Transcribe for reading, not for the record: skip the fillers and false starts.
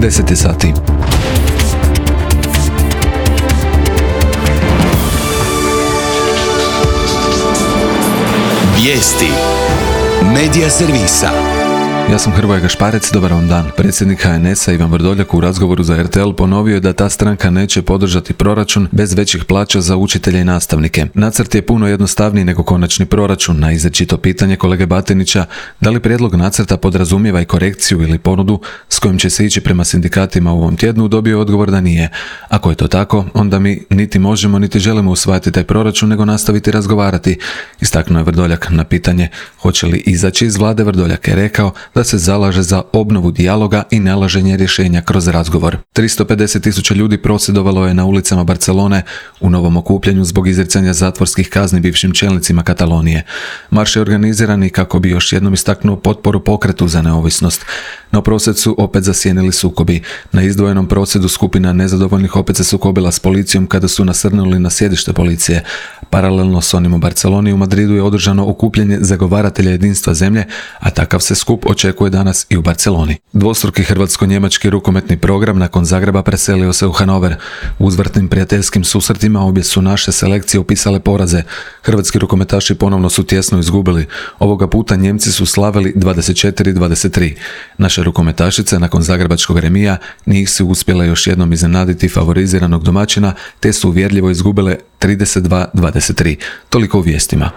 10 je sati. Vijesti Medija servisa. Ja sam Hrvoje Gašparec, dobar vam dan. Predsjednik HNS-a Ivan Vrdoljak u razgovoru za RTL ponovio je da ta stranka neće podržati proračun bez većih plaća za učitelje i nastavnike. Nacrt je puno jednostavniji nego konačni proračun. Na izričito pitanje kolege Batinića da li prijedlog nacrta podrazumijeva i korekciju ili ponudu s kojim će se ići prema sindikatima u ovom tjednu, dobio odgovor da nije. Ako je to tako, onda mi niti možemo niti želimo usvajati taj proračun nego nastaviti razgovarati. Istaknuo je Vrdoljak. Na pitanje hoće li izaći iz vlade, Vrdoljak je rekao da se zalaže za obnovu dijaloga i nalaženje rješenja kroz razgovor. 350.000 ljudi prosvjedovalo je na ulicama Barcelone u novom okupljanju zbog izricanja zatvorskih kazni bivšim čelnicima Katalonije. Marš je organiziran i kako bi još jednom istaknuo potporu pokretu za neovisnost. No prosvjed su opet zasjenili sukobi. Na izdvojenom prosvjedu skupina nezadovoljnih opet se sukobila s policijom kada su nasrnuli na sjedište policije. Paralelno s onim u Barceloni, u Madridu je održano okupljanje zagovaratelja jedinstva zemlje, a takav se skup očekuje danas i u Barceloni. Dvostruki hrvatsko-njemački rukometni program nakon Zagreba preselio se u Hanover. U uzvratnim prijateljskim susretima obje su naše selekcije upisale poraze. Hrvatski rukometaši ponovno su tjesno izgubili. Ovoga puta Njemci su slavili 24-23. Naše rukometašice nakon zagrebačkog remija njih su uspjele još jednom iznenaditi favoriziranog domaćina te su uvjerljivo izgubile 32-23. Toliko u vijestima.